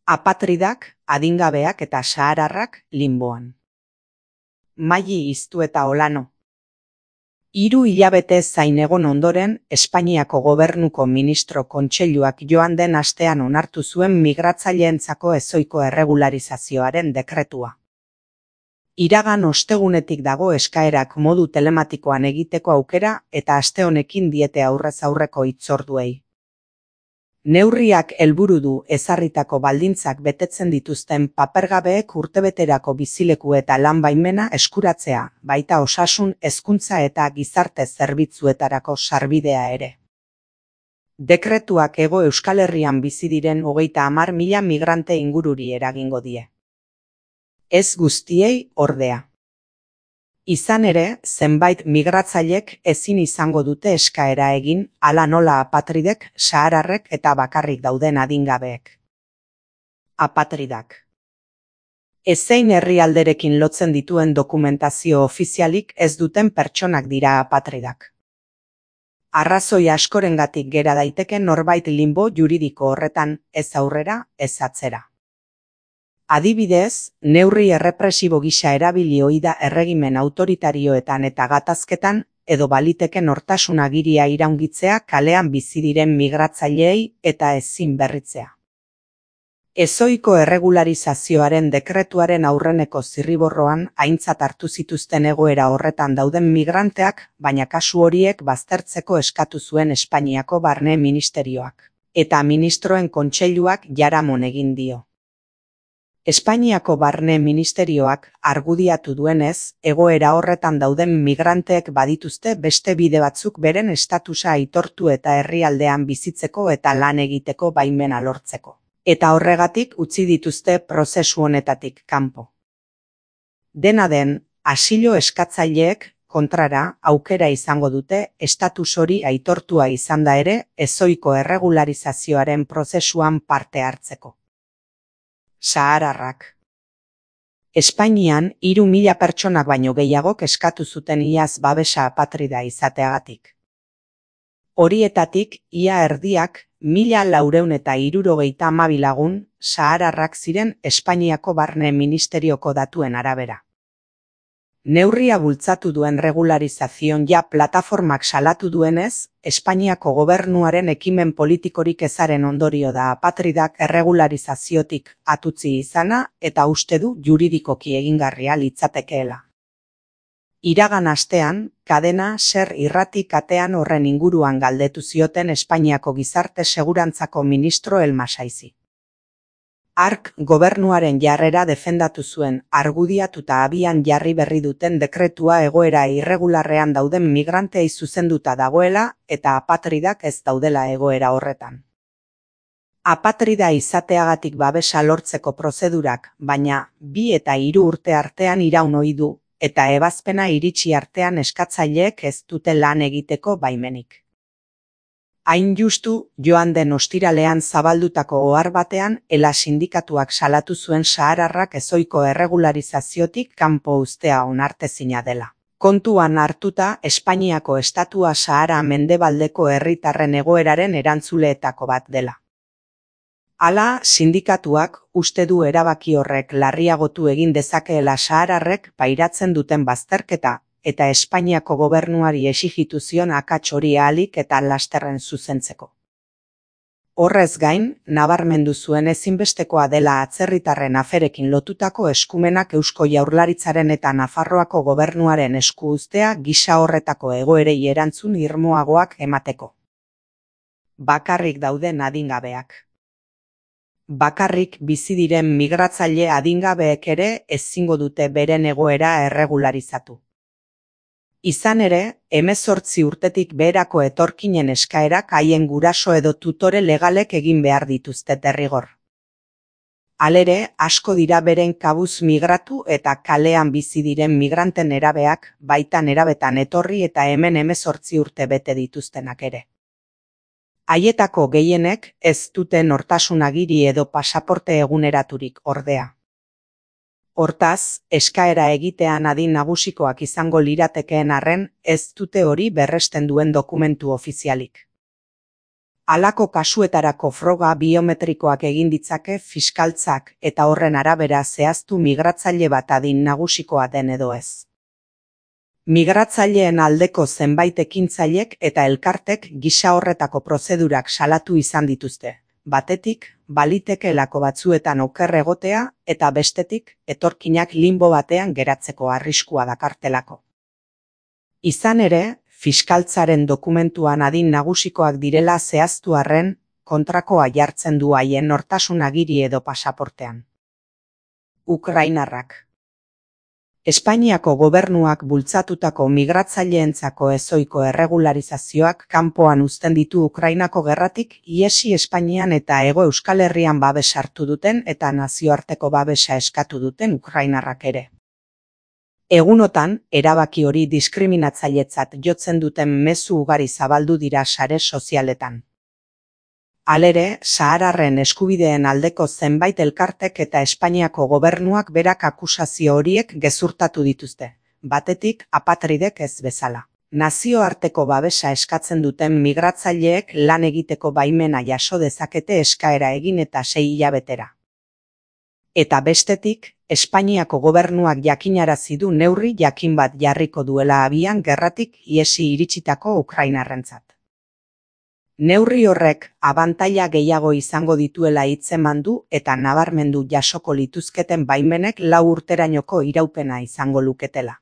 Apatridak, adingabeak eta sahararrak linboan. Maili Iztu eta Olano. 3 hilabete zain egon ondoren, Espainiako Gobernuko Ministro Kontseiluak joan den astean onartu zuen migratzaileentzako ezohiko erregularizazioaren dekretua. Iragan ostegunetik dago eskaerak modu telematikoan egiteko aukera eta aste honekin diete aurrez aurreko hitzorduei. Neurriak helburu du ezarritako baldintzak betetzen dituzten papergabeek urtebeterako bizileku eta lan baimena eskuratzea, baita osasun, hezkuntza eta gizarte zerbitzuetarako sarbidea ere. Dekretuak Hego Euskal Herrian bizi diren 30.000 migrante ingururi eragingo die. Ez guztiei, ordea. Izan ere, zenbait migratzailek ezin izango dute eskaera egin, hala nola apatridek, sahararrek eta bakarrik dauden adingabeek. Apatridak. Ezein herrialderekin lotzen dituen dokumentazio ofizialik ez duten pertsonak dira apatridak. Arrazoi askorengatik gera daiteke norbait linbo juridiko horretan, ez aurrera, ez atzera. Adibidez, neurri errepresibo gisa erabili ohi da erregimen autoritarioetan eta gatazketan, edo baliteke nortasun agiria iraungitzea kalean bizi diren migratzaileei eta ezin berritzea. Ezohiko erregularizazioaren dekretuaren aurreneko zirriborroan aintzat hartu zituzten egoera horretan dauden migranteak, baina kasu horiek baztertzeko eskatu zuen Espainiako Barne Ministerioak, eta Ministroen Kontseiluak jaramon egin dio. Espainiako Barne Ministerioak argudiatu duenez, egoera horretan dauden migranteek badituzte beste bide batzuk beren estatusa aitortu eta herrialdean bizitzeko eta lan egiteko baimena lortzeko. Eta horregatik utzi dituzte prozesu honetatik kanpo. Dena den, asilo eskatzaileek, kontrara, aukera izango dute estatus hori aitortua izanda ere, ezohiko erregularizazioaren prozesuan parte hartzeko. Sahararrak. Espainian 3.000 pertsonak baino gehiagok eskatu zuten iaz babesa apatrida izateagatik. Horietatik, ia erdiak, 1.472 lagun, sahararrak ziren Espainiako Barne Ministerioko datuen arabera. Neurria bultzatu duen regularizazioan plataformak salatu duenez, Espainiako gobernuaren ekimen politikorik ezaren ondorio da apatridak erregularizaziotik atutzi izana eta uste du juridikoki egingarria litzatekeela. Iragan astean, Kadena Ser irrati katean horren inguruan galdetu zioten Espainiako gizarte segurantzako ministro Elmasaizi. Hark gobernuaren jarrera defendatu zuen, argudiatuta abian jarri berri duten dekretua egoera irregularrean dauden migrantei zuzenduta dagoela eta apatridak ez daudela egoera horretan. Apatrida izateagatik babesa lortzeko prozedurak, baina 2 eta 3 urte artean iraun ohi du, eta ebazpena iritsi artean eskatzaileek ez dute lan egiteko baimenik. Hain justu, joan den ostiralean zabaldutako ohar batean, ELA sindikatuak salatu zuen sahararrak ezohiko erregularizaziotik kanpo uztea onartezina dela. Kontuan hartuta, Espainiako estatua Sahara mendebaldeko herritarren egoeraren erantzuleetako bat dela. Hala, sindikatuak uste du erabaki horrek larriagotu egin dezakeela sahararrek pairatzen duten bazterketa, eta Espainiako gobernuari exijitu zion akats hori ahalik eta lasterren zuzentzeko. Horrez gain, nabarmendu zuen ezinbestekoa dela atzerritarren aferekin lotutako eskumenak Eusko Jaurlaritzaren eta Nafarroako gobernuaren esku uztea gisa horretako egoerei erantzun irmoagoak emateko. Bakarrik dauden adingabeak. Bakarrik bizi diren migratzaile adingabeek ere ezingo dute beren egoera erregularizatu. Izan ere, 18 urtetik beherako etorkinen eskaerak haien guraso edo tutore legalek egin behar dituzte derrigor. Halere, asko dira beren kabuz migratu eta kalean bizi diren migranten nerabeak, baita nerabetan etorri eta hemen 18 urte bete dituztenak ere. Haietako gehienek ez dute nortasun agiri edo pasaporte eguneraturik ordea. Hortaz, eskaera egitean adin nagusikoak izango liratekeen arren, ez dute hori berresten duen dokumentu ofizialik. Halako kasuetarako froga biometrikoak egin ditzake fiskaltzak eta horren arabera zehaztu migratzaile bat adin nagusikoa den edo ez. Migratzaileen aldeko zenbait ekintzailek eta elkartek gisa horretako prozedurak salatu izan dituzte. Batetik, balitekeelako batzuetan oker egotea eta bestetik, etorkinak limbo batean geratzeko arriskua dakartelako. Izan ere, fiskaltzaren dokumentuan adin nagusikoak direla zehaztu arren, kontrakoa jartzen du haien nortasun agiri edo pasaportean. Ukrainarrak. Espainiako gobernuak bultzatutako migratzaileentzako ezohiko erregularizazioak kanpoan uzten ditu Ukrainako gerratik ihesi Espainian eta Hego Euskal Herrian babes hartu duten eta nazioarteko babesa eskatu duten ukrainarrak ere. Egunotan, erabaki hori diskriminatzailetzat jotzen duten mezu ugari zabaldu dira sare sozialetan. Halere, sahararren eskubideen aldeko zenbait elkartek eta Espainiako gobernuak berak akusazio horiek gezurtatu dituzte, batetik apatridek ez bezala. Nazioarteko babesa eskatzen duten migratzaileek lan egiteko baimena jaso dezakete eskaera egin eta 6 hilabetera. Eta bestetik, Espainiako gobernuak jakinarazi du neurri jakin bat jarriko duela abian gerratik ihesi iritsitako ukrainarrentzat. Neurri horrek abantaila gehiago izango dituela hitzeman du eta nabarmendu jasoko lituzketen baimenek 4 urterainoko iraupena izango luketela.